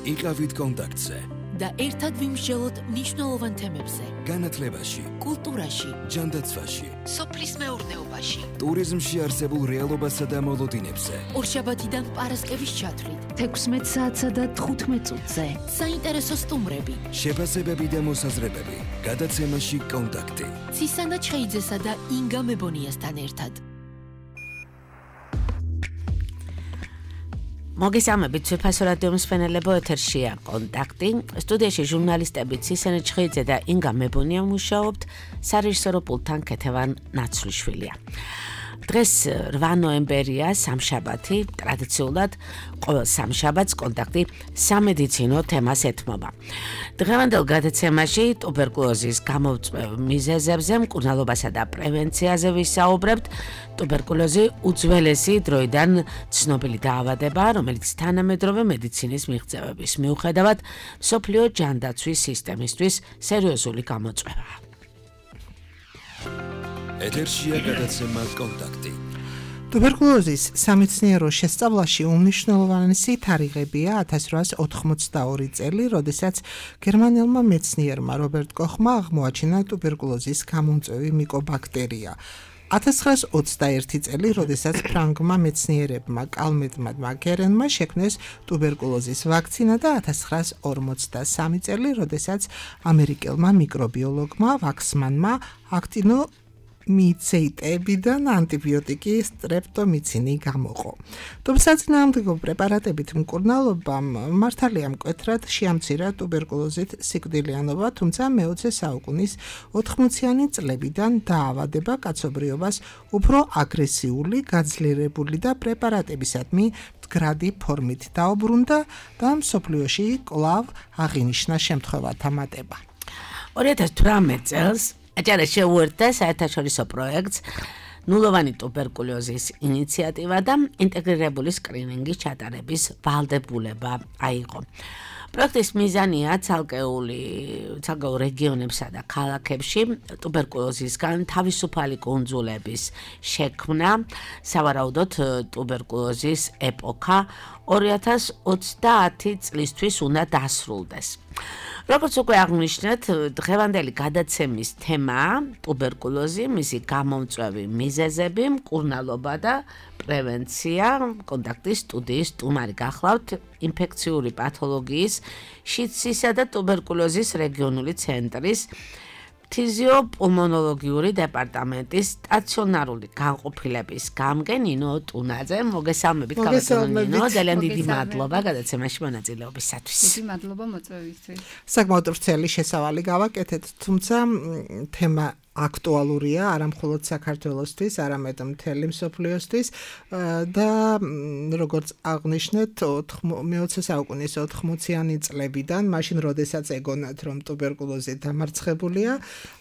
იყავით კონტაქტზე და ერთად ვიმსჯელოთ მნიშვნელოვან თემებზე. განათლებაში, კულტურაში, ჯანდაცვაში, სოფლის მეურნეობაში, ტურიზმში არსებულ რეალობასა და მოლოდინებზე. ორშაბათიდან პარასკევის ჩათვლით, 16 საათსა და 15 წუთზე. საინტერესო სტუმრები, შეფასებები და მოსაზრებები. გადაცემაში კონტაქტი. ცისანა ჩხეიძესა და ინგა მებონიასთან ერთად. მოგესალმებით, სოფასო რადიო მსმენელებო, ეთერშია კონტაქტი. სტუდიაში ჟურნალისტები ცისანა ჩხეიძე და ინგა მებონია მუშაობთ, სარეჟისორო პულტთან ქეთევან ნაცვლიშვილია. დღეს 8 ნოემბერია, სამშაბათი, ტრადიციულად ყოველ სამშაბათს კონტაქტი სამედიცინო თემას ეთმობა. დღევანდელ გადაცემაში ტუბერკულოზის გამომწვევ მიზეზებზე, მკურნალობასა და პრევენციაზე ვისაუბრებთ. ტუბერკულოზი უძველესი დროიდან ცნობილი დაავადება, რომელიც თანამედროვე მედიცინის მიღწევების მიუხედავად მსოფლიო ჯანდაცვის სისტემისთვის სერიოზული გამოწვევაა. ეთერშია გადაცემა კონტაქტი. ტუბერკულოზის სამეცნიერო შესწავლაში უმნიშვნელოვანესი თარიღებია 1882 წელი, როდესაც გერმანელმა მეცნიერმა რობერტ კოხმა აღმოაჩინა ტუბერკულოზის გამომწვევი მიკობაქტერია. 1921 წელი, როდესაც ფრანგმა მეცნიერებმა კალმეტმა მაგერენმა შექმნეს ტუბერკულოზის ვაქცინა და 1943 წელი, როდესაც ამერიკელმა მიკრობიოლოგმა ვაქსმანმა აქტინომიცეტებიდან ანტიბიოტიკი სტრეპტომიცინი გამოყო. ტუბსაწინააღმდეგო პრეპარატებით მკურნალობამ მართალია მკვეთრად შეამცირა ტუბერკულოზით სიკვდილიანობა, თუმცა მე-20 საუკუნის 80-იანი წლებიდან დაავადება კაცობრიობას უფრო აგრესიული, გაძლიერებული და პრეპარატებისადმი მდგრადი ფორმით დაუბრუნდა და მსოფლიოში კვლავ აღინიშნა შემთხვევათა მატება. 2018 წელს აჭარა შეუერთდა საერთაშორისო პროექტს ნულოვანი ტუბერკულოზის ინიციატივა და ინტეგრირებული სკრინინგის ჩატარების ვალდებულება აიღო. პროექტის მიზანია ცალკეულ რეგიონებსა და ქალაქებში ტუბერკულოზისგან თავისუფალი კუნძულების შექმნა, სავარაუდოდ ტუბერკულოზის ეპოქა 2030 წლისთვის უნდა დასრულდეს. როგორც უკვე აღნიშნეთ, დღევანდელი გადაცემის თემაა ტუბერკულოზი, მისი გამომწვევი მიზეზები, მკურნალობა და პრევენცია. კონტაქტის სტუდიის სტუმარი გახლავთ ინფექციური პათოლოგიის, შიდსისა და ტუბერკულოზის რეგიონული ცენტრის ფთიზიოპულმონოლოგიური დეპარტამენტის სტაციონარული განყოფილების გამგე ნინო ტუნაძე. მოგესალმებით, მოგესალმებით. ნინო, ძალიან დიდი მადლობა გადაცემაში მონაწილეობისათვის. დიდი მადლობა მოწვევისთვის. საკმაოდ ვრცელი შესავალი გავაკეთეთ, თუმცა თემა აქტუალურია არა მხოლოდ საქართველოსთვის, არამედ მთელი მსოფლიოსთვის და როგორც აღნიშნეთ, მე-20 საუკუნის 80-იანი წლებიდან, მაშინ როდესაც ეგონათ, რომ ტუბერკულოზი დამარცხებულია,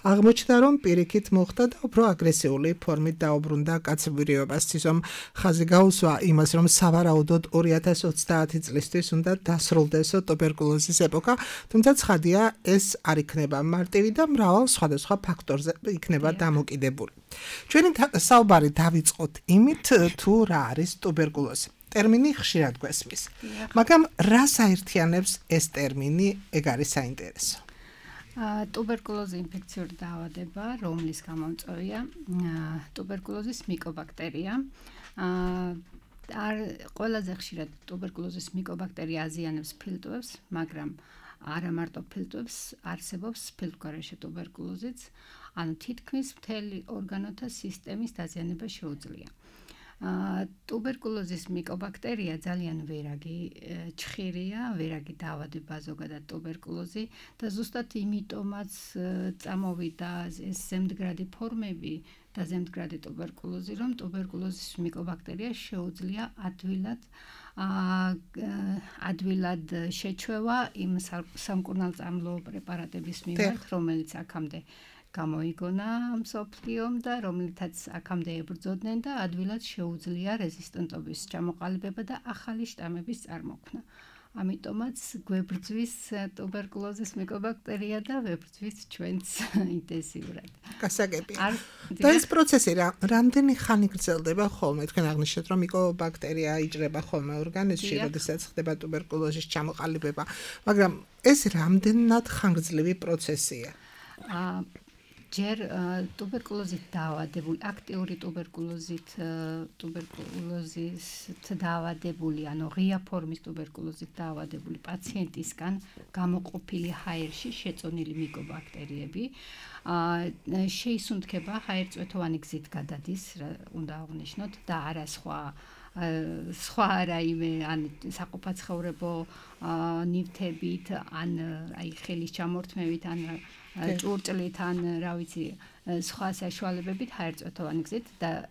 აღმოჩნდა, რომ პირიქით მოხდა და უფრო აგრესიული ფორმით დაუბრუნდა კაცობრიობას. ცისომ ხაზი გაუსვა იმას, რომ სავარაუდოდ 2030 წლისთვის უნდა დასრულდესო ტუბერკულოზის ეპოქა, თუმცა ცხადია, ეს არ იქნება მარტივი და მრავალ სხვადასხვა ფაქტორზე იქნება დამოკიდებული. ჩვენი საუბარი დავიწყოთ იმით, თუ რა არის ტუბერკულოზი. ტერმინი ხშირად გვესმის. მაგრამ რას აერთიანებს ეს ტერმინი, ეგ არის საინტერესო. ტუბერკულოზი ინფექციური დაავადება, რომლის გამომწვევია ტუბერკულოზის მიკობაქტერია. ყველაზე ხშირად ტუბერკულოზის მიკობაქტერია აზიანებს ფილტვებს, მაგრამ არა მარტო ფილტვებს, არსებობს ფილტვგარეშე ტუბერკულოზიც, ანუ თითქმის მთელი ორგანოთა სისტემის დაზიანება შეუძლია. ტუბერკულოზის მიკობაქტერია ძალიან ვერაგი ჩხირია, ვერაგი დაავადება ზოგადად ტუბერკულოზი და ზუსტად იმიტომაც წამოვიდა ეს ზემდგრადი ფორმები და ზემდგრადი ტუბერკულოზი, რომ ტუბერკულოზის მიკობაქტერია შეუძლია ადვილად შეჩვევა იმ სამკურნალწამლო პრეპარატების მიმართ, რომელიც აქამდე გამოიგონა მსოფლიომ და რომლითაც აქამდე ებრძოდნენ და ადვილად შეუძლია რეზისტენტობის ჩამოყალიბება და ახალი შტამების წარმოქმნა. ამიტომაც გვებრძვის ტუბერკულოზის მიკობაქტერია და ვებრძვის ჩვენც ინტენსიურად. გასაგებია. და ეს პროცესი რამდენი ხანი გრძელდება ხოლმე? თქვენ აღნიშნეთ, რომ მიკობაქტერია იჭრება ხოლმე ორგანიზმში, როდესაც ხდება ტუბერკულოზის ჩამოყალიბება, მაგრამ ეს რამდენად ხანგრძლივი პროცესია? ჯერ ტუბერკულოზით დაავადებული, აქტიური ტუბერკულოზით დაავადებული, ანუ ღია ფორმის ტუბერკულოზით დაავადებული პაციენტისგან გამოყოფილი ჰაერში შეწონილი მიკობაქტერიები შეისუნთქება ჰაერწვეთოვანი გზით გადადის, უნდა აღვნიშნოთ და არა სხვა რაიმე ან საყოფაცხოვრებო ნივთებით, ან აი ხელის ჩამორთმევით, ან ჭურჭლით, ან რა ვიცი, სხვა საშუალებებით ჰაერწვეთოვანი გზით და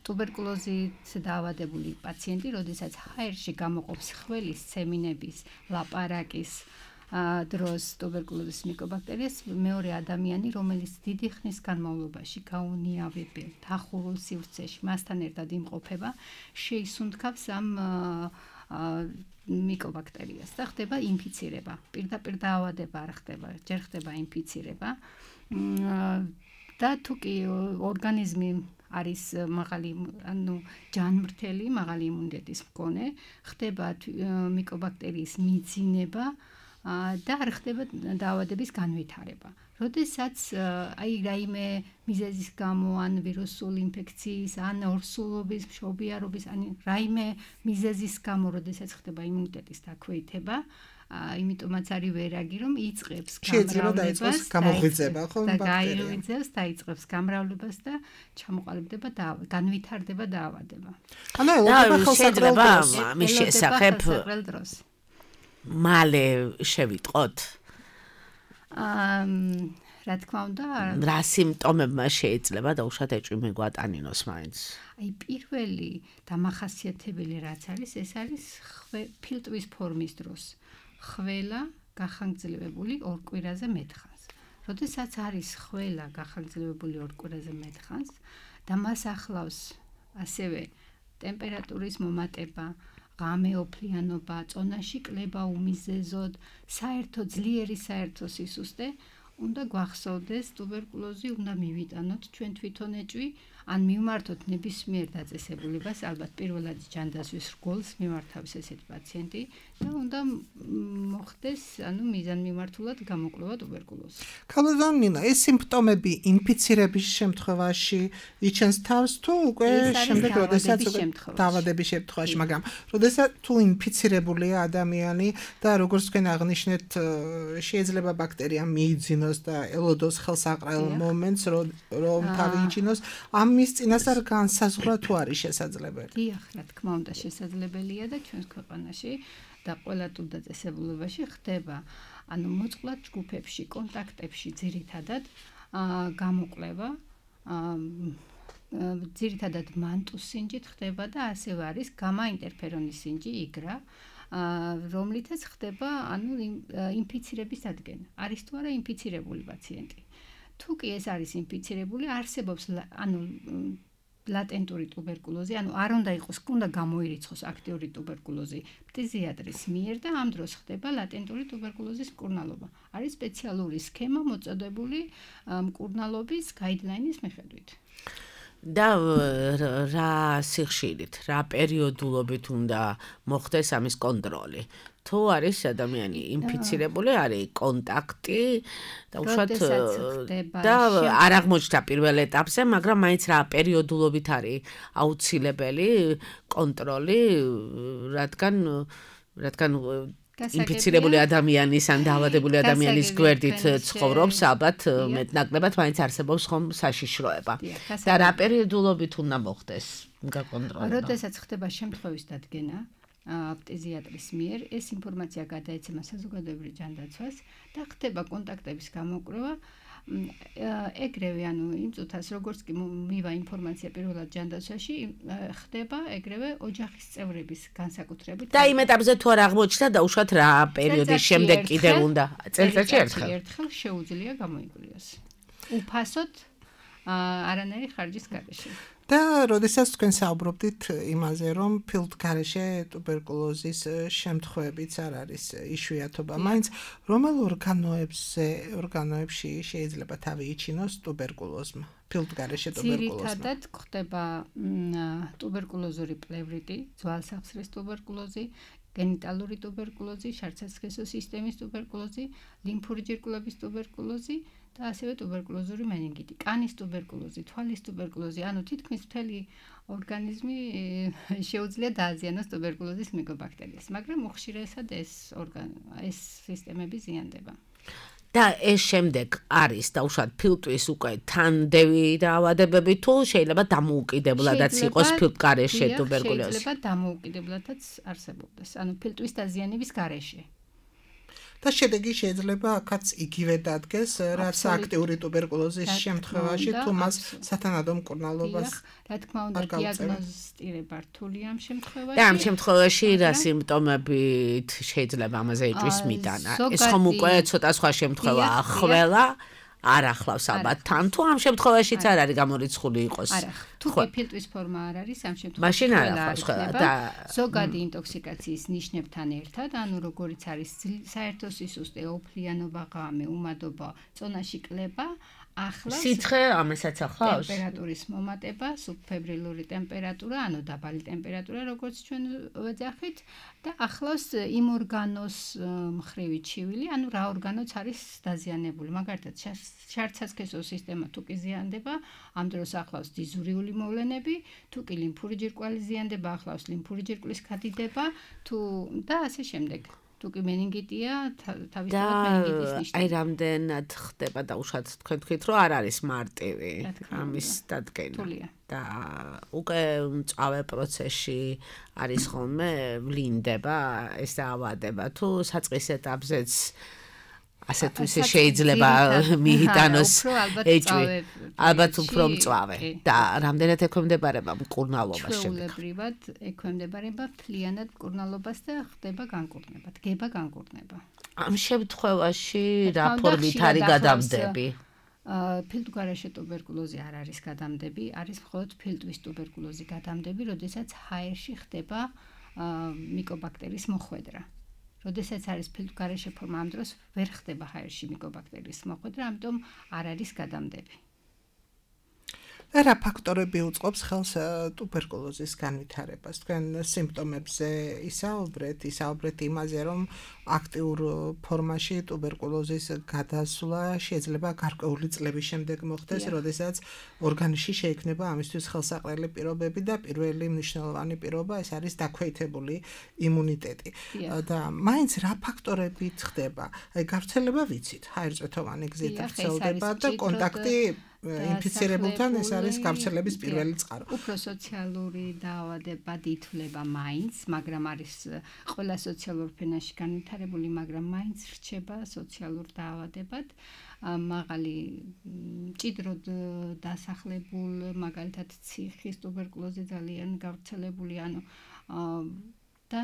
ტუბერკულოზით დაავადებული პაციენტი, როდესაც ჰაერში გამოყოფს ხველის, სემინების, ლაპარაკის დროს ტუბერკულოზის მიკობაქტერიას, მეორე ადამიანი, რომელიც დიდი ხნის განმავლობაში გაუნიავებელ დახურულ სივრცეში მასთან ერთად იმყოფება, შეისუნთქავს ამ მიკობაქტერიას და ხდება ინფიცირება. პირდაპირ დაავადება არ ხდება, ჯერ ხდება ინფიცირება. და თუ კი ორგანიზმი არის მაღალი, ანუ ჯანმრთელი, მაღალი იმუნიტეტის მქონე, ხდება მიკობაქტერიის მიძინება და არ ხდება დაავადების განვითარება. როდესაც აი რაიმე მიზეზის გამო, ან ვირუსული ინფექციის, ან ორსულობის, მშობიარობის, ან რაიმე მიზეზის გამო, როდესაც ხდება იმუნიტეტის დაქვეითება, იმიტომაც არის ვერაგი, რომ იწყებს გამრავლებას, გამოღვიძება, ხო, ბაქტერიას, დაიწყებს გამრავლებას და ჩამოყალიბდება და განვითარდება დაავადება. ანუ ელოდება შეიძლება ამის შესახებ დროს. მალე შევიტყოთ? რა თქმა უნდა, რა სიმპტომებმა შეიძლება დაუშვათ ეჭვი მიგვატანინოს მაინც? აი პირველი დამახასიათებელი რაც არის, ეს არის ფილტვის ფორმის დროს. ხველა გახანგრძლივებული ორ კვირაზე მეტხანს. როდესაც არის ხველა გახანგრძლივებული ორ კვირაზე მეტხანს და მას ახლავს ასევე ტემპერატურის მომატება, ღამეოფლიანობა, წონაში კლება უმიზეზოდ, ძლიერი საერთო სისუსტე, უნდა გვახსოვდეს ტუბერკულოზი უნდა მივიტანოთ ჩვენ თვითონ ეჭვი, ან მივმართოთ ნებისმიერ დაწესებულებას, ალბათ პირველად ჯანდაცვის რგოლს მიმართავს ესეთი პაციენტი და უნდა მოხდეს, ანუ მიზანმიმართულად გამოკვლევა ტუბერკულოზი. ქალბატონო ნინა, ეს სიმპტომები ინფიცირების შემთხვევაში იჩენს თავს თუ უკვე შემდეგ როდესაც დაავადების შემთხვევაში, მაგრამ როდესაც თუ ინფიცირებულია ადამიანი და როგორც თქვენ აღნიშნეთ, შეიძლება ბაქტერია მიიძინოს და ელოდოს ხელსაყრელ მომენტს, რომ თავი იჩინოს, ამის წინასწარ განსაზღვრა თუ არის შესაძლებელი? დიახ, რა თქმა უნდა, შესაძლებელია და ჩვენს ქვეყანაში და ყველა თუდაწესებულებაში ხდება, ანუ მოწყვლად ჯგუფებში, კონტაქტებში ძირითადად გამოკვლევა, ძირითადად მანტუს სინჯით ხდება და ასევე არის გამა ინტერფერონის სინჯი, იგრა, რომლითაც ხდება, ანუ ინფიცირების დადგენა. არის თუ არა ინფიცირებული პაციენტი. თუ კი ეს არის ინფიცირებული, არსებობს, ანუ ლატენტური ტუბერკულოზი, ანუ არ უნდა იყოს, უნდა გამოირიცხოს აქტიური ტუბერკულოზი ფტიზიატრის მიერ და ამ დროს ხდება ლატენტური ტუბერკულოზის მკურნალობა. არის სპეციალური სქემა მოწოდებული მკურნალობის გაიდლაინის მიხედვით. და რა სიხშირით, რა პერიოდულობით უნდა მოხდეს ამის კონტროლი? თუ არის ადამიანი ინფიცირებული, არის კონტაქტი და უშუალოდ და არ აღმოჩნდა პირველ ეტაპზე, მაგრამ მაინც რა პერიოდულობით არის აუცილებელი კონტროლი, რადგან ინფიცირებული ადამიანის ან დაავადებული ადამიანის გვერდით ცხოვრობს, ალბათ მეტნაკლებად მაინც არსებობს ხომ საშიშროება. და რა პერიოდულობით უნდა მოხდეს გაკონტროლება? როდესაც ხდება შემთხვევის დადგენა ფტიზიატრის მიერ, ეს ინფორმაცია გადაეცემა საზოგადოებრივ ჯანდაცვას და ხდება კონტაქტების გამოკვლევა. ეგრევე, ანუ იმ წუთას, როგორც კი მივა ინფორმაცია პირველად ჯანდაცვაში, ხდება ეგრევე ოჯახის წევრების განსაკუთრებით. და იმ ეტაპზე თუ არ აღმოჩნდა და უშუალოდ რა პერიოდის შემდეგ კიდევ უნდა წელიწადში ერთხელ შეუძლია გამოიკვლიოს. უფასოდ არანაირი ხარჯის გარეშე. და როდესაც თქვენ საუბრობდით იმაზე, რომ ფილტგარეშე ტუბერკულოზის შემთხვევებიც არ არის იშვიათობა, მაინც რომელ ორგანოებში შეიძლება თავი იჩინოს ტუბერკულოზმა, ფილტგარეშე ტუბერკულოზმა? ძირითადად ხდება ტუბერკულოზური პლევრიტი, ძვალსახსრის ტუბერკულოზი, გენიტალური ტუბერკულოზი, შარცასქესო სისტემის ტუბერკულოზი, ლიმფური ჯირკვლების ტუბერკულოზი და ასევე ტუბერკულოზური მენინგიტი, კანის ტუბერკულოზი, თვალის ტუბერკულოზი, ანუ თითქმის მთელი ორგანიზმი შეუძლია დააზიანოს ტუბერკულოზის მიკობაქტერიას, მაგრამ უხშირესად ეს სისტემები ზიანდება. და ეს შემდეგ არის დაუშვათ ფილტვის უკვე თანდევი დაავადებები თუ შეიძლება დამოუკიდებლადაც იყოს ფილტგარეშე ტუბერკულოზი? შეიძლება დამოუკიდებლადაც არსებობდეს, ანუ ფილტვის დაზიანების გარეშე. და შედეგი შეიძლება აქაც იგივე დადგეს, რაც აქტიური ტუბერკულოზის შემთხვევაში, თუ მას სათანადო მკურნალობას რა თქმა უნდა, დიაგნოსტირება რთულია ამ შემთხვევაში. და ამ შემთხვევაში რა სიმპტომებით შეიძლება ამაზე ეჭვის მიტანა? ეს ხომ უკვე ცოტა სხვა შემთხვევაა, ყველა არ ახლავს ალბათ თან თუ ამ შემთხვევაშიც არ არის გამორიცხული იყოს. არა, თუ ფილტვის ფორმა არ არის ამ შემთხვევაში. მაშინ არ ახლავს ყველა და ზოგადი ინტოქსიკაციის ნიშნებთან ერთად, ანუ როგორიც არის საერთო სისუსტე, ოფლიანობა, ღამე, უმადობა, წონაში კლება, ახლავს სიცხე ამასაც ახლავს? ტემპერატურის მომატება, სუბფებრილური ტემპერატურა, ანუ დაბალი ტემპერატურა, როგორც ჩვენ ვეძახით, და ახლავს იმ ორგანოს მხრივი ჩივილი, ანუ რა ორგანოც არის დაზიანებული. მაგალითად, შარცასქესო სისტემა თუ კი ზიანდება, ამ დროს ახლავს დიზურიული მოვლენები, თუ კი ლიმფური ჯირკვალი ზიანდება, ახლავს ლიმფური ჯირკვლის გადიდება, და ასე შემდეგ. თუ კი მენინგიტია, თავისთავად მენინგიტის ნიშნები. აი რამდენად ხდება დაუშვათ თქვენ თქვით, რომ არ არის მარტივი ამის დადგენა. და უკვე მწავე პროცესში არის ხოლმე ვლინდება ეს დაავადება თუ საწყის ეტაპზეც ასე თუ ისე შეიძლება მიიტანოს ეჭვი, ალბათ უფრო მწვავე და რამდენად ექვემდებარება მკურნალობას შემდეგ? ჩვეულებრივად ექვემდებარება მთლიანად მკურნალობას და ხდება განკურნება, დგება განკურნება. ამ შემთხვევაში რა ფორმით არის გადამდები? ფილტვგარეშე ტუბერკულოზი არ არის გადამდები, არის მხოლოდ ფილტვის ტუბერკულოზი გადამდები, როდესაც ჰაერში ხდება მიკობაქტერიის მოხვედრა. როდესაც არის ფილტვგარეშე ფორმა, ამ დროს ვერ ხდება ჰაერში მიკობაქტერიის მოხვედრა, ამიტომ არ არის გადამდები. რა ფაქტორები უწყობს ხელს ტუბერკულოზის განვითარებას? თქვენ სიმპტომებზე ისაუბრეთ იმაზე, რომ აქტიურ ფორმაში ტუბერკულოზის გადასვლა შეიძლება გარკვეული წლების შემდეგ მოხდეს, როდესაც ორგანიზმში შეიქმნება ამისთვის ხელსაყრელი პირობები და პირველი მნიშვნელოვანი პირობა ეს არის დაქვეითებული იმუნიტეტი. და მაინც რა ფაქტორებით ხდება? აი გავრცელება ვიცით, ჰაერწვეთოვანი გზით ვრცელდება და კონტაქტი ინფიცირებულთან ეს არის გავრცელების პირველი წყარო. უფრო სოციალური დაავადებად ითვლება მაინც, მაგრამ არის ყველა სოციალურ ფენაში განვითარებული, მაგრამ მაინც რჩება სოციალურ დაავადებად. მაღალი მჭიდროდ დასახლებულ, მაგალითად ციხის ტუბერკულოზი ძალიან გავრცელებული, ანუ და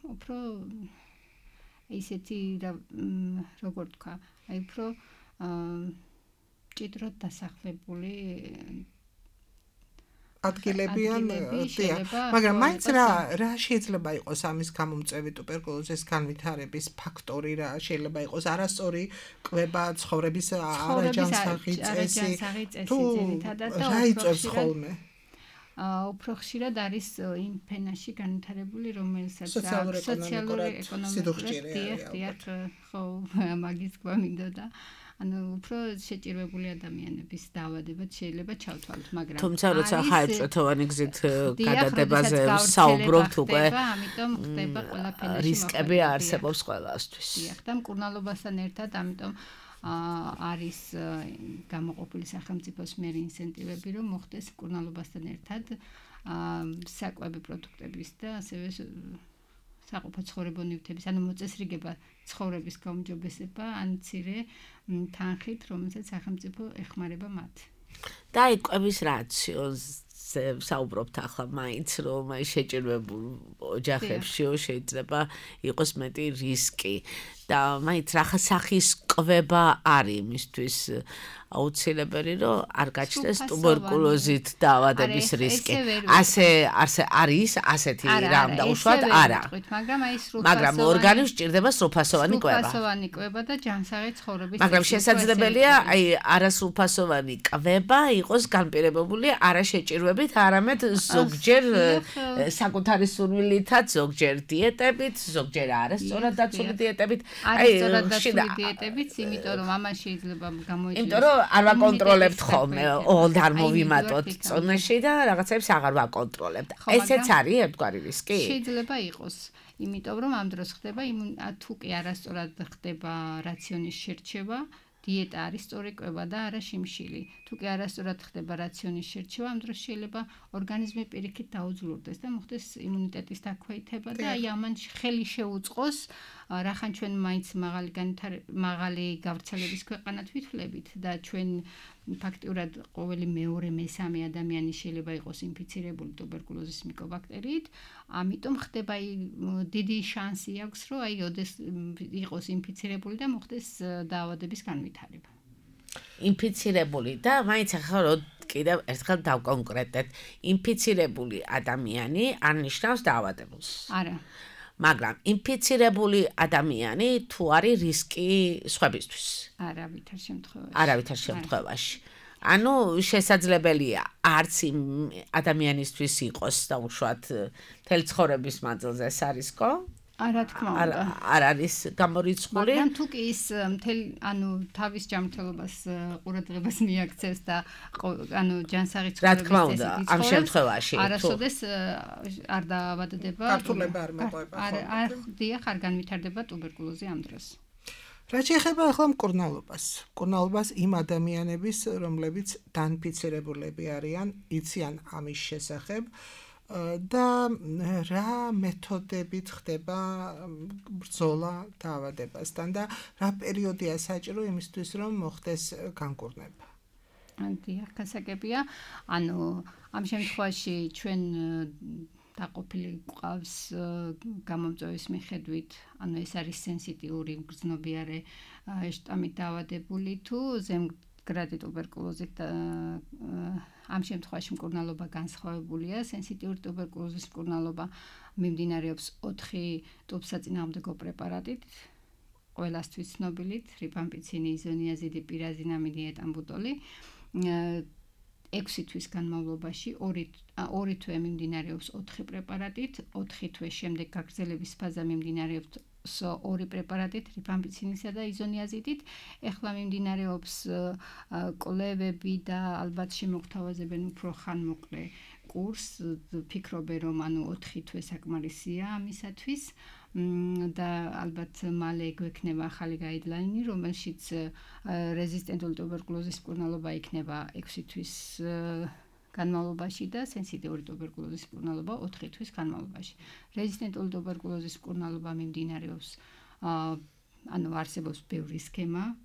უფრო ისეთი როგორ თქვა, აი უფრო მჭიდროდ დასახლებული ადგილებიან, მაგრამ მაინც რა შეიძლება იყოს ამის გამომწვევი ტუბერკულოზის განვითარების ფაქტორი, რა შეიძლება იყოს არასწორი კვება, ცხოვრების არაჯანსაღი წესი, თუ რა იწვევს ხოლმე? უფრო ხშირად არის იმ ფენაში განვითარებული, რომელსაც სოციალურ-ეკონომიკურად დიახ, ხო, მაგის თქვა მინდოდა. ანუ უფრო შეჭირვებული ადამიანების დაავადებად შეიძლება ჩავთვალოთ, მაგრამ თუმცა როცა ჰაერწვეთოვანი გზით გადადებაზე საუბრობთ უკვე, ამიტომ ხდება ყველაფერში რისკები არსებობს ყველასთვის. დიახ, და მკურნალობასთან ერთად, ამიტომ არის გამოყოფილი სახელმწიფოს მიერ ინცენტივები, რომ მოხდეს მკურნალობასთან ერთად საკვები პროდუქტების და ასევე საყოფო ცხოვრებო ნივთების, ანუ მოწესრიგება ცხოვრების გაუმჯობესება, ან მცირე თანხით, რომელსაც სახელმწიფო ეხმარება მათ. და აი კვების რაციონზე საუბრობთ ახლა მაინც, რომ აი შეჭირვებულ ოჯახებში შეიძლება იყოს მეტი რისკი და მაინც რა სახის კვება არის იმისთვის აუცილებელი რომ არ გაჩნდეს ტუბერკულოზით დაავადების რისკი. ასე არის ასეთი რამ დაუშვათ არა. მაგრამ ორგანიზმს სჭირდება სრულფასოვანი კვება. სრულფასოვანი კვება და ჯანსაღი ცხოვრების. მაგრამ შესაძლებელია აი არასრულფასოვანი კვება იყოს განპირობებული არა შეჭირვებით, არამედ ზოგჯერ საკუთარი სურვილითაც, ზოგჯერ დიეტებით, ზოგჯერ არასწორად დაცული დიეტებით. არასწორად დაცული დიეტებით, იმიტომ რომ ამან შეიძლება გამოიწვიოს. იმიტომ რომ არ ვაკონტროლებთ ხოლმე, ოღონდ არ მოვიმატოთ წონაში და რაღაცებს აღარ ვაკონტროლებთ. ესეც არის ერთგვარი რისკი? შეიძლება იყოს. იმიტომ რომ ამ დროს ხდება თუ კი არასწორად ხდება რაციონის შერჩევა, დიეტა არის სწორი კვება და არა შიმშილი. თუ კი არასწორად ხდება რაციონის შერჩევა, ამ დროს შეიძლება ორგანიზმი პირიქით დაუძლურდეს და მოხდეს იმუნიტეტის დაქვეითება და აი ამან ხელი შეუწყოს, რახან ჩვენ მაინც მაღალი გავრცელების ქვეყანად ვითვლებით და ჩვენ ფაქტიურად ყოველი მეორე მესამე ადამიანი შეიძლება იყოს ინფიცირებული ტუბერკულოზის მიკობაქტერიით, ამიტომ ხდება დიდი შანსი აქვს, რომ აი იყოს ინფიცირებული და მოხდეს დაავადების განვითარება. ინფიცირებული და მაინც ახლა რომ კიდევ ერთხელ დავკონკრეტეთ, ინფიცირებული ადამიანი არ ნიშნავს დაავადებულს. არა. მაგრამ ინფიცირებული ადამიანი თუ არის რისკი სხვებისთვის? არავითარ შემთხვევაში. ანუ შესაძლებელია არც იმ ადამიანისთვის იყოს დაუშვათ მთელი ცხოვრების მანძილზე ეს არის ხო? არა თქმა უნდა. არ არის გამორიცხული. მაგრამ თუ კი ის თავის ჯანმრთელობას ყურადღებას მიაქცევს და ჯანსაღი რა თქმა უნდა ამ შემთხვევაში არასოდეს არ დაავადდება. გართულება არ მოყვება. არ განვითარდება ტუბერკულოზი ამ დროს. რა შეეხება ახლა მკურნალობას იმ ადამიანების, რომლებიც დაინფიცირებულები არიან, იციან ამის შესახებ და რა მეთოდებით ხდება ბრძოლა დაავადებასთან და რა პერიოდია საჭირო იმისთვის, რომ მოხდეს განკურნება? დიახ, გასაგებია. ამ შემთხვევაში ჩვენ დაყოფილი გვყავს გამომწვევის მიხედვით, ეს არის სენსიტიური გრძნობიარე შტამით დაავადებული თუ ზემგრადი ტუბერკულოზით ამ შემთხვევაში მკურნალობა განსხვავებულია. სენსიტიური ტუბერკულოზის მკურნალობა მიმდინარეობს 4 ტუბსაწინააღმდეგო პრეპარატით, ყველასთვის ცნობილით, რიფამპიცინი, იზონიაზიდი, პირაზინამიდი, ეტამბუტოლი. 6 თვის განმავლობაში 2 თვე მიმდინარეობს 4 პრეპარატით, 4 თვის შემდეგ გაგრძელების ფაზა მიმდინარეობს 2 პრეპარატით, რიფამპიცინისა და იზონიაზიდით. ეხლა მიმდინარეობს კვლევები და ალბათ შემოგთავაზებენ უფრო ხანმოკლე კურსს. ფიქრობენ რომ 4 თვე საკმარისია ამისათვის. და ალბათ მალე გვექნება ახალი გაიდლაინი, რომელშიც რეზისტენტული ტუბერკულოზის მკურნალობა იქნება 6 თვის განმავლობაში და სენსიტიური ტუბერკულოზის მკურნალობა 4 თვის განმავლობაში. რეზისტენტული ტუბერკულოზის მკურნალობა მიმდინარეობს, არსებობს ბევრი სქემა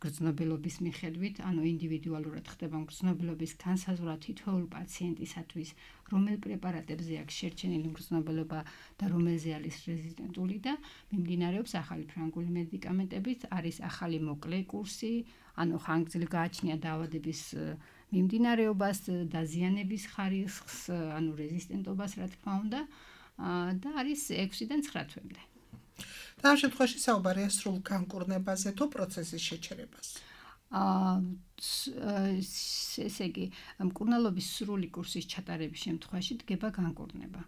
გრძნობილობის მიხედვით, ინდივიდუალურად ხდება გრძნობილობის განსაზღვრა თითოეულ პაციენტისათვის, რომელ პრეპარატებზე აქვს შერჩენილი გრძნობილობა და რომელზე არის რეზისტენტული და მიმდინარეობს ახალი ფრანგული მედიკამენტებით, არის ახალი მოკლე კურსი, ხანგრძლივ გააჩნია დაავადების მიმდინარეობას, დაზიანების ხარისხს, რეზისტენტობას, რა თქმა უნდა, და არის 6-დან 9 თვემდე. და ამ შემთხვევაში საუბარია სრულ განკურნებაზე თუ პროცესის შეჩერებას? ესე იგი, მკურნალობის სრული კურსის ჩატარების შემთხვევაში დგება განკურნება.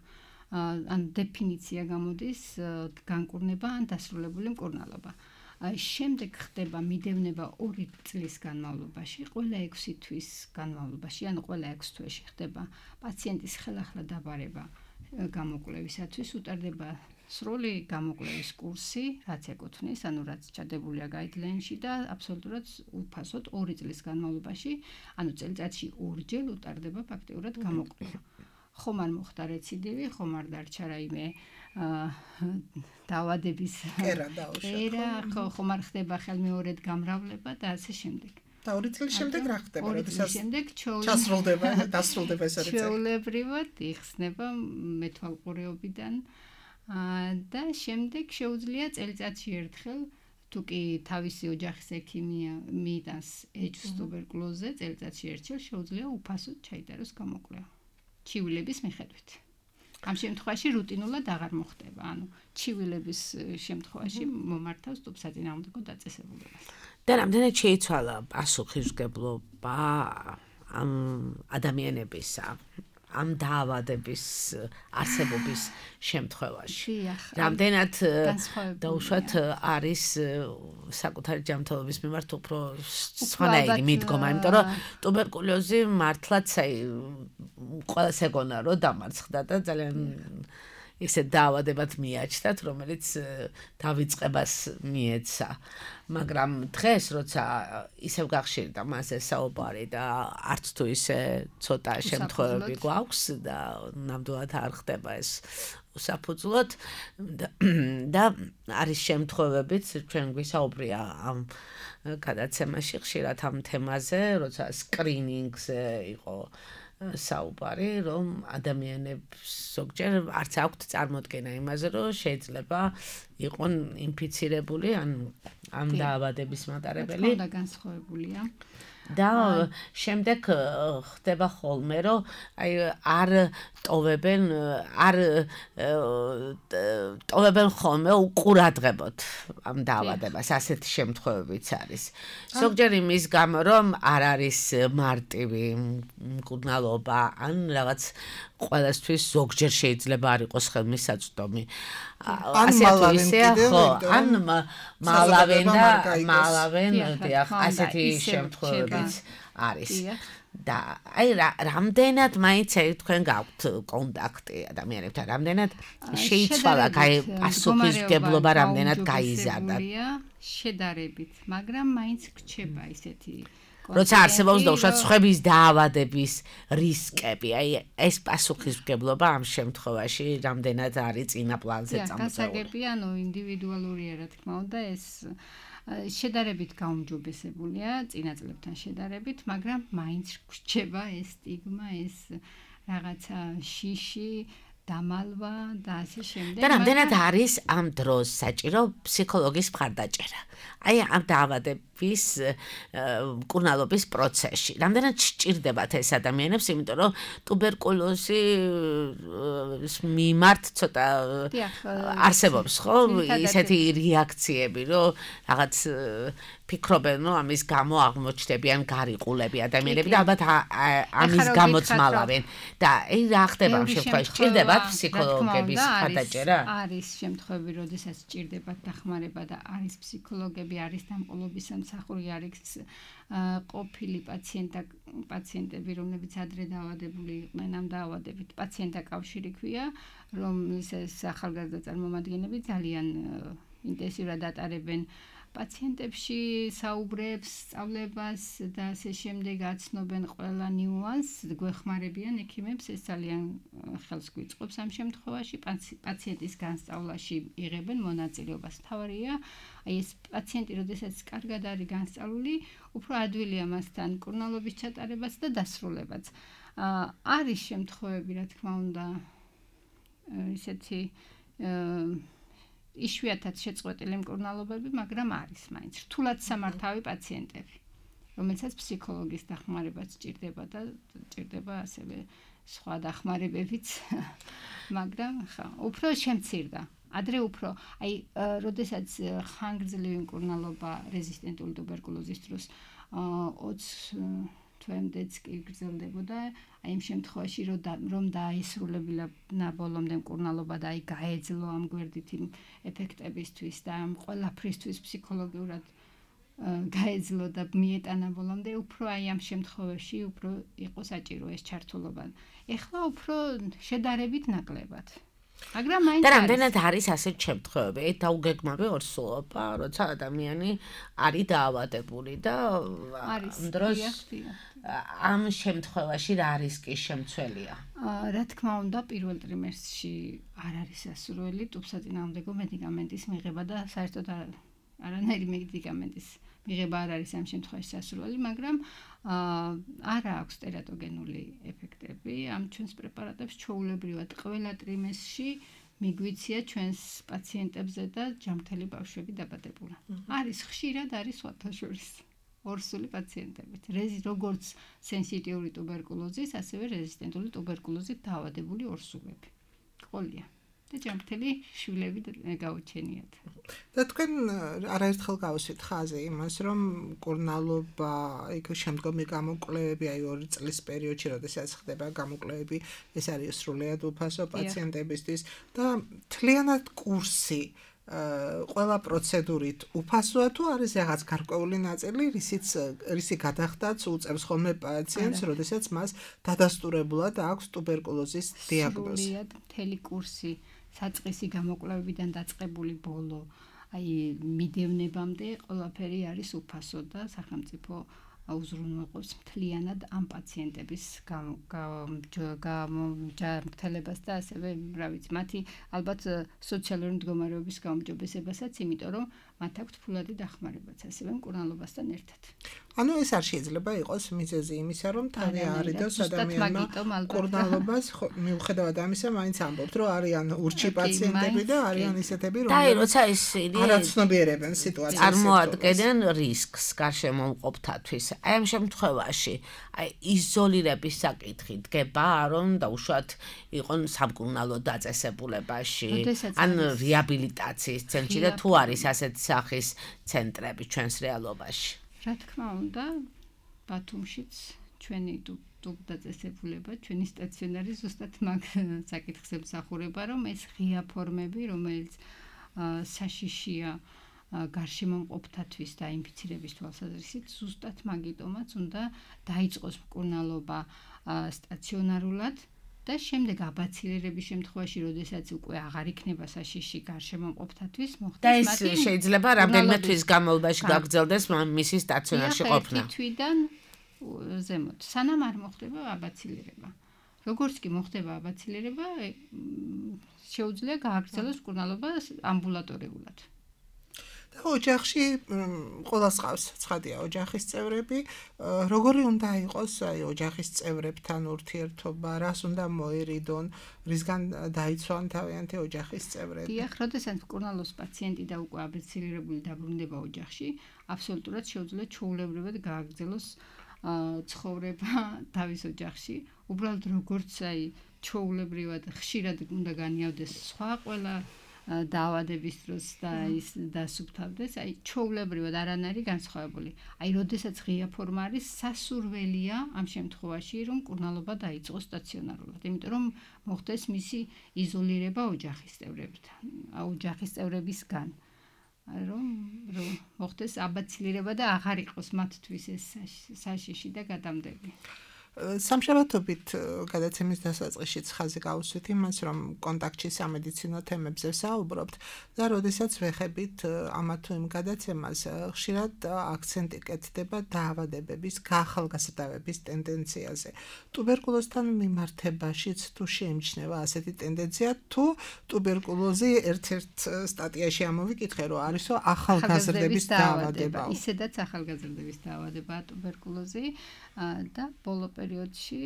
დეფინიცია გამოდის განკურნება ან დასრულებული მკურნალობა. შემდეგ ხდება მიდევნება 2 წლის განმავლობაში, ყველა 6 თვის განმავლობაში, ყველა 6 თვეში ხდება პაციენტის ხელახლა დაბარება გამოკვლევისათვის, უტარდება სრული გამოკვლევის კურსი, რაც ეკუთვნის, რაც ჩადებულია გაიდლაინში და აბსოლუტურად უფასოდ 2 წლის განმავლობაში, წელიწადში 2 ჯერ უტარდება ფაქტიურად გამოკვლევა. ხომ არ მოხდა რეციდივი, ხომ არ დარჩა რაიმე დაავადების კერა, ხომ არ ხდება ხელმეორედ გამრავლება და ასე შემდეგ. და 2 წლის შემდეგ რა ხდება? 2 წლის შემდეგ დასრულდება ეს რეცეპტი. ჩვეულებრივად იხსნება მეთვალყურეობიდან და შემდეგ შეუძლია წელიწადში ერთხელ თუ კი თავისი ოჯახის ექიმია მიიტანს ეჭვს ტუბერკულოზზე წელიწადში ერთხელ შეუძლია უფასოდ ჩაიტაროს გამოკვლევა ჩივილების მიხედვით. ამ შემთხვევაში რუტინულად აღარ მოხდება, ანუ ჩივილების შემთხვევაში მომართავს ტუბსაწინააღმდეგო დაწესებულებას. და რამდენად შეიცვალა პასუხისმგებლობა ამ ადამიანებისა ამ დაავადების არსებობის შემთხვევაში. რამდენად დაუშვათ არის საკუთარი ჯანმრთელობის მიმართ უფრო სხვანაირი მიდგომა, იმიტომ რომ ტუბერკულოზი მართლაც ყველას ეგონა რომ დამარცხდა და ძალიან ისე დაავადებად მიაჩნდათ, რომელიც დავიწყებას მიეცა. მაგრამ დღეს როცა ისევ გახშირდა მასზე საუბარი და არც თუ ისე ცოტა შემთხვევები გვაქვს და ნამდვილად არ ხდება ეს უსაფუძვლოდ და არის შემთხვევებიც ჩვენ გვისაუბრია ამ გადაცემაში ხშირად ამ თემაზე, როცა სკრინინგზე იყო საუბარი, რომ ადამიანებს ზოგჯერ არც აქვთ წარმოდგენა იმაზე, რომ შეიძლება იყონ ინფიცირებული ან დაავადების მატარებელი. და განსხვავებულია. და შემდეგ ხდება ხოლმე, რომ არ ტოვებენ ხოლმე უყურადღებოდ ამ დაავადებას, ასეთი შემთხვევებიც არის. ზოგჯერ იმის გამო, რომ არ არის მარტივი მკურნალობა, ან რაღაც ყველასთვის ზოგჯერ შეიძლება არ იყოს ხელმისაწვდომი. ასე თუ ისე, ხო, ან მალავენ, ასეთი შემთხვევებიც არის. და რამდენად მაინც თქვენ გაქვთ კონტაქტი ადამიანებთან, რამდენად შეიცვალა პასუხისმგებლობა, რამდენად გაიზარდა. შედარებით, მაგრამ მაინც გრჩება ისეთი როცა არსებობს დაუშვათ სხვების დაავადების რისკები, ეს პასუხისმგებლობა ამ შემთხვევაში რამდენად არის წინა პლანზე წამოწეული. გასაგებია, ინდივიდუალურია, რა თქმა უნდა, ეს შედარებით გაუმჯობესებულია წინა წლებთან შედარებით, მაგრამ მაინც გრჩება ეს სტიგმა, ეს რაღაცა შიში დამალვა და ასე შემდეგ. და რამდენად არის ამ დროს საჭირო ფსიქოლოგის მხარდაჭერა? ამ დაავადების მკურნალობის პროცესში. რამდენად სჭირდებათ ეს ადამიანებს, იმიტომ რომ ტუბერკულოზის მიმართ ცოტა არსებობს, ხო, ისეთი რეაქციები, რომ რაღაც ფიქრობენ, რომ ამის გამო აღმოჩნდებიან გარიყულები ადამიანები და ალბათ ამის გამოც მალავენ. და რა ხდება ამ შემთხვევაში? სჭირდებათ ფსიქოლოგების მხარდაჭერა? არის შემთხვევები, როდესაც სჭირდებათ დახმარება და არის ფსიქოლოგები, არის დამყოლობის სამსახური, არის ყოფილი პაციენტები, რომლებიც ადრე დაავადებული იყვნენ ამ დაავადებით. პაციენტთა კავშირი ქვია, რომლის ახალგაზრდა წარმომადგენლები ძალიან ინტენსიურად ატარებენ პაციენტებში საუბრებს, სწავლებას და ასე შემდეგ აცნობენ ყველა ნიუანსს, გვეხმარებიან ექიმებს, ეს ძალიან ხელს გვიწყობს ამ შემთხვევაში, პაციენტის განსწავლაში იღებენ მონაწილეობას. თავარია, ეს პაციენტი, როდესაც კარგად არის განსწავლული, უფრო ადვილია მასთან მკურნალობის ჩატარებას და დასრულებაც. არის შემთხვევები, რა თქმა უნდა, ისეთი იშვიათად შეწყვეტილი მკურნალობები, მაგრამ არის მაინც რთულად სამართავი პაციენტები, რომელსაც ფსიქოლოგის დახმარებაც სჭირდება და სჭირდება ასევე სხვა დახმარებებიც, მაგრამ ხა, უფრო შემცირდა. ადრე უფრო, როდესაც ხანგრძლივი მკურნალობა რეზისტენტული ტუბერკულოზის დროს 20 თვემდეც კი გრძელდებოდა, იმ შემთხვევაში რომ დაისრულებინა ბოლომდე მკურნალობა და გაეძლო ამ გვერდით იმ ეფექტებისთვის და ამ ყველაფრისთვის ფსიქოლოგიურად გაეძლო და მიეტანა ბოლომდე, უფრო ამ შემთხვევაში უფრო იყო საჭირო ეს ჩართულობა. ეხლა უფრო შედარებით ნაკლებად. მაგრამ მაინც და რამდენად არის ასეთ შემთხვევები? დაუგეგმავი ორსულობა, როცა ადამიანი არის დაავადებული და ამ დროს ამ შემთხვევაში რა რისკი შემცველია? რა თქმა უნდა, პირველ ტრიმესტრში არ არის სასურველი ტუბსაწინააღმდეგო მედიკამენტის მიღება და საერთოდ არანაირი მედიკამენტის მიღება არ არის ამ შემთხვევაში სასურველი, მაგრამ არა აქვს ტერატოგენული ეფექტები ამ ჩვენს პრეპარატებს ჩვეულებრივად ყველა ტრიმესტრში მიგვიცია ჩვენს პაციენტებზე და ჯანმრთელი ბავშვები დაბადებულა. არის ხშირად არის სხვათა შორის ორსული პაციენტებით. როგორც სენსიტიური ტუბერკულოზის, ასევე რეზისტენტული ტუბერკულოზით დაავადებული ორსულები. ყოლია. და ჯანმრთელი შვილები გაუჩენიათ. და თქვენ არაერთხელ გავუსვით ხაზი იმას, რომ მკურნალობა, იქ შემდგომი გამოკვლევები, აი 2 წლის პერიოდში, როდესაც ხდება გამოკვლევები, ეს არის სრულიად უფასო პაციენტებისთვის და მთლიანად კურსი ყველა პროცედურით უფასოა თუ არის რაღაც გარკვეული ნაწილი, რისი გადახდაც უწევს ხოლმე პაციენტს, როდესაც მას დადასტურებულად აქვს ტუბერკულოზის დიაგნოზი. სრულიად მთელი კურსი საწყისი გამოკვლევებიდან დაწყებული ბოლო, აი მიდევნებამდე ყველაფერი არის უფასო და სახელმწიფო აუზრუნველყოფს მთლიანად ამ პაციენტების ჯანმრთელებას და ასევე, რა ვიცი, მათი ალბათ სოციალური მდგომარეობის გაუმჯობესებასაც, იმიტომ რომ მათ აქვთ ფულადი დახმარებაც, ასევე მკურნალობასთან ერთად. ანუ ეს არ შეიძლება იყოს მიზეზი იმისა, რომ თავი არიდოს ადამიანმა მკურნალობას, მიუხედავად ამისა, მაინც ამბობთ, რომ არიან ურჩი პაციენტები და არიან ისეთები, რომლებიც როცა ისინი არაცნობიერებენ სიტუაციას. წარმოადგენენ რისკს გარშემომყოფთათვის. აი ამ შემთხვევაში, აი იზოლირების საკითხი დგება, რომ დაუშვათ იყონ სამკურნალო დაწესებულებაში, ან რეაბილიტაციის ცენტრში და თუ არის ასეთ სახის ცენტრები ჩვენს რეალობაში. რა თქმა უნდა, ბათუმშიც ჩვენი დაწესებულება, ჩვენი სტაციონარი ზუსტად მაგ საკითხს ემსახურება, რომ ეს ღია ფორმები, რომელიც საშიშია გარშემომყოფთათვის და ინფიცირების თვალსაზრისით, ზუსტად მაგიტომაც უნდა დაიწყოს მკურნალობა სტაციონარულად და შემდეგ აბაცილირების შემთხვევაში, როდესაც უკვე აღარ იქნება საშიში გარშემომყოფთათვის, მოხდეს და ეს შეიძლება რამდენიმე თვის განმავლობაში გაგრძელდეს მისი სტაციონარში ყოფნა. თვიდან ზემოთ, სანამ არ მოხდება აბაცილირება. როგორც კი მოხდება აბაცილირება, შეუძლია გააგრძელოს მკურნალობა ამბულატორიულად. და ოჯახში ყველას ყავს ცხადია ოჯახის წევრები, როგორი უნდა იყოს აი ოჯახის წევრებთან ურთიერთობა, რას უნდა მოერიდონ, რისგან დაიცვან თავიანთი ოჯახის წევრები. დიახ, როდესაც მკურნალობს პაციენტი და უკვე აბაცილირებული დაბრუნდება ოჯახში, აბსოლუტურად შეუძლია ჩვეულებრივად გააგრძელოს ცხოვრება თავის ოჯახში. უბრალოდ როგორც აი ჩვეულებრივად ხშირად უნდა განიავდეს სხვა ყველა დაავადების დროს და ის დასუფთავდეს, აი ჩვეულებრივად არანაირი განსხვავებული. აი როდესაც ღია ფორმა არის, სასურველია ამ შემთხვევაში, რომ მკურნალობა დაიწყოს სტაციონარულად, იმიტომ რომ მოხდეს მისი იზოლირება ოჯახის წევრებთან, ოჯახის წევრებისგან. რომ მოხდეს აბაცილირება და აღარ იყოს მათთვის ეს საშიში და გადამდები. სამშაბათობით გადაცემის დასაწყისშიც ხაზი გავუსვით იმას, რომ კონტაქტში სამედიცინო თემებზე საუბრობთ და როდესაც ვეხებით ამა თუ იმ გადაცემას, ხშირად აქცენტი კეთდება დაავადებების გაახალგაზრდავების ტენდენციაზე. ტუბერკულოზთან მიმართებაშიც თუ შეიმჩნევა ასეთი ტენდენცია, თუ ტუბერკულოზი ერთ-ერთ სტატიაში ამოვიკითხე, რომ არისო ახალგაზრდების დაავადება. ისედაც ახალგაზრდების დაავადებაა ტუბერკულოზი და ბოლო პერიოდში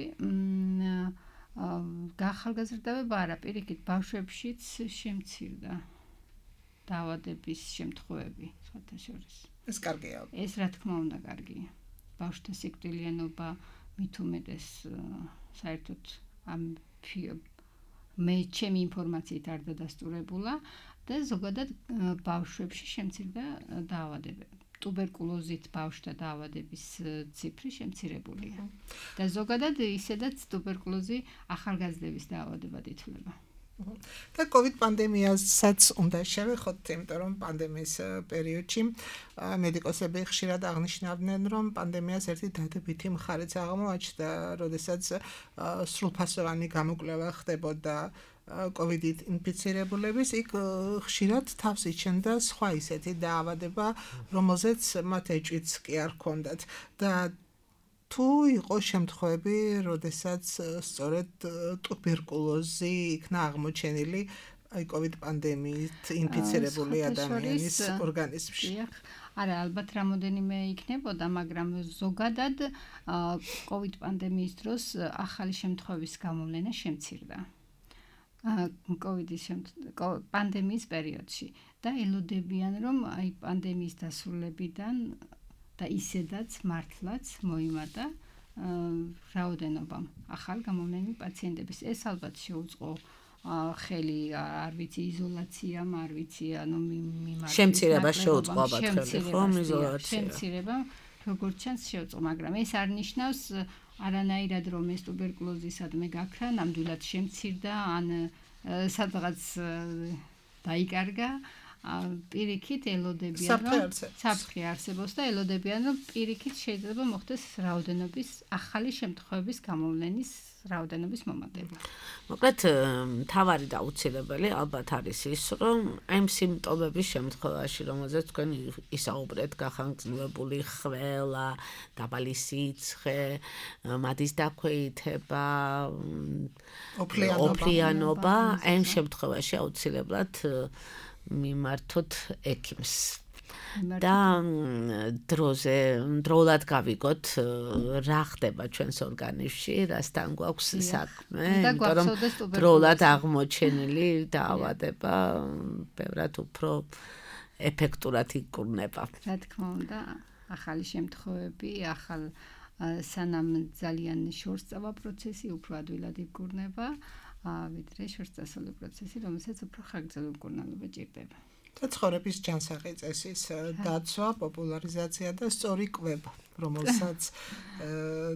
გაახალგაზრდავება არა, პირიქით ბავშვებშიც შემცირდა დაავადების შემთხვევები, სხვათა შორის. ეს კარგია. ეს რა თქმა უნდა კარგია. ბავშვთა სიკვდილიანობა მით უმეტეს საერთოდ ამ ჩემი ინფორმაციით არ დადასტურებულა და ზოგადად ბავშვებში შემცირდა დაავადებები. ტუბერკულოზით ბავშვთა დაავადების ციფრი შემცირებულია. და ზოგადად ისედაც ტუბერკულოზი ახალგაზრდების დაავადებად ითვლება. და COVID პანდემიასაც უნდა შევეხოთ, იმიტომ რომ პანდემიის პერიოდში მედიკოსები ხშირად აღნიშნავდნენ, რომ პანდემიას ერთი დადებითი მხარეც აღმოაჩნდა, როდესაც სრულფასოვანი გამოკვლევა ხდებოდა COVID-ით ინფიცირებულების, იქ ხშირად თავს იჩენდა სხვა ისეთი დაავადება, რომელზეც მათ ეჭვიც კი არ ჰქონდათ და თუ იყო შემთხვევები, როდესაც სწორედ ტუბერკულოზი იქნა აღმოჩენილი აი COVID პანდემიით ინფიცირებული ადამიანის ორგანიზმში. არა, ალბათ რამოდენიმე იქნებოდა, მაგრამ ზოგადად COVID პანდემიის დროს ახალი შემთხვევების გამოვლენა შემცირდა. კოვიდის პანდემიის პერიოდში და ელოდებიან რომ აი პანდემიის დასრულებიდან და ისედაც მართლაც მოიმატა რაოდენობა ახალ გამოვლენილ პაციენტების. ეს ალბათ შეუწყო ხელი არ ვიცი იზოლაციამ, არ ვიცი ანუ შემცირება შეუწყო ალბათ ხელი ხომ იზოლაცია. შემცირება როგორც ჩანს შეუწყო, მაგრამ ეს არ ნიშნავს არანაირად რომ ეს ტუბერკულოზისადმე გაქრა, ნამდვილად შემცირდა ან სადღაც დაიკარგა. პირიქით ელოდებიან რომ საფრთხე არსებობს და ელოდებიან რომ პირიქით შეიძლება მოხდეს რაოდენობის ახალი შემთხვევების გამოვლენის რაოდენობის მომატება. მოკლედ მთავარი და აუცილებელი ალბათ არის ის რომ ამ სიმპტომების შემთხვევაში რომელზეც თქვენ ისაუბრეთ გახანგრძლივებული ხველა, დაბალი სიცხე, მადის დაქვეითება, ოფლიანობა, ამ შემთხვევაში აუცილებლად მიმართოთ ექიმს და დროულად გავიგოთ რა ხდება ჩვენს ორგანიზმში, რასთან გვაქვს საქმე, იმიტომ რომ დროულად აღმოჩენილი დაავადება ბევრად უფრო ეფექტურად იკურნება. რა თქმა უნდა, ახალი შემთხვევები, სანამ ძალიან შორსწავა პროცესი უფრო ადვილად იკურნება, ვიდრე შორსწასული პროცესი, რომელსაც უფრო ხანგრძლივი მკურნალობა ჭირდება. და ცხოვრების ჯანსაღი წესის დაცვა, პოპულარიზაცია და სწორი კვება, რომელსაც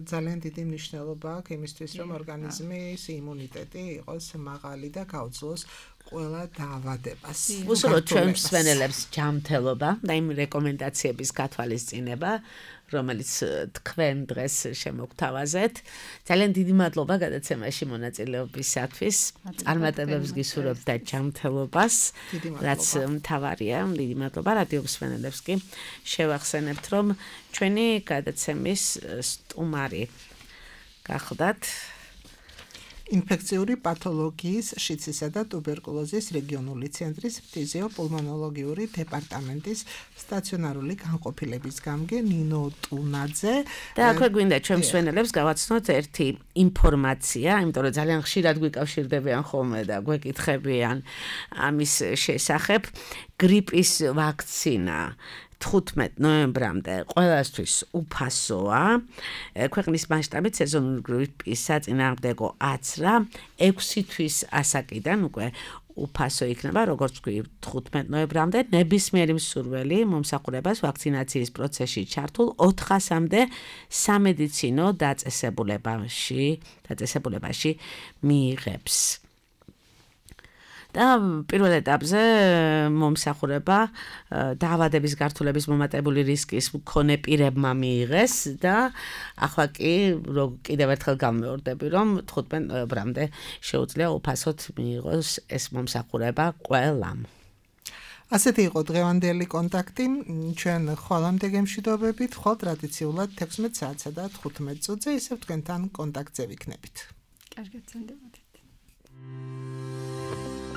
ძალიან დიდი მნიშვნელობა აქვს იმისთვის, რომ ორგანიზმის იმუნიტეტი იყოს მაღალი და გაუძლოს ყველა დაავადებას. უსურვოთ ჩვენ მსმენელებს ჯანმრთელობა და იმ რეკომენდაციების გათვალისწინება, რომელიც თქვენ დღეს შემოგთავაზეთ. ძალიან დიდი მადლობა გადაცემაში მონაწილეობისათვის. წარმატებებს გისურვებთ და ჯანმრთელობას, რაც მთავარია. დიდი მადლობა რადიო მსმენელებს კი შევახსენებთ, რომ ჩვენი გადაცემის სტუმარი გახლდათ ინფექციური პათოლოგიის, შიცისა და ტუბერკულოზის რეგიონული ცენტრის ფიზიოპულმონოლოგიური დეპარტამენტის სტაციონარული განყოფილების გამგე ნინო ტუნაძე. და აქვე გვინდა ჩვენ მსმენელებს გავაცნოთ ერთი ინფორმაცია, იმიტომ რომ ძალიან ხშირად გვიკავშირდებიან ხოლმე და გვეკითხებიან ამის შესახებ. გრიპის ვაქცინა 15 ნოემბრამდე ყველასთვის უფასოა. ქვეყნის მასშტაბით სეზონური გრიპის საწინააღმდეგო აცრა 6 თვის ასაკიდან უკვე უფასო იქნება, როგორც ვთქვი, 15 ნოემბრამდე ნებისმიერი მსურველი მომსახურებას ვაქცინაციის პროცესში ჩართულ 400-მდე სამედიცინო დაწესებულებაში მიიღებს. და პირველ ეტაპზე მომსახურება დაავადების გართულების მომატებული რისკის მქონე პირებმა მიიღეს და ახლა კი კიდევ ერთხელ გამეორდები, რომ 15 ნოემბრამდე შეუძლია უფასოდ მიიღოს ეს მომსახურება ყველამ. ასეთი იყო დღევანდელი კონტაქტი. ჩვენ ხვალამდე გემშვიდობებით, ხვალ ტრადიციულად 16 საათსა და 15 წუთზე ისევ თქვენთან კონტაქტზე ვიქნებით. კარგად წამდებოდეთ.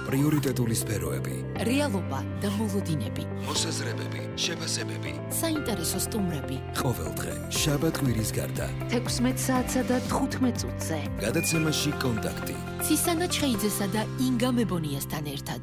პრიორიტეტული სფეროები, რეალობა და მოლოდინები, მოსაზრებები, შეფასებები, საინტერესო სტუმრები. ყოველდღე შაბათ-კვირის გარდა 16 საათსა და 15 წუთზე გადაცემაში კონტაქტი. ცისანა ჩხეიძესა და ინგა მებონიასთან ერთად.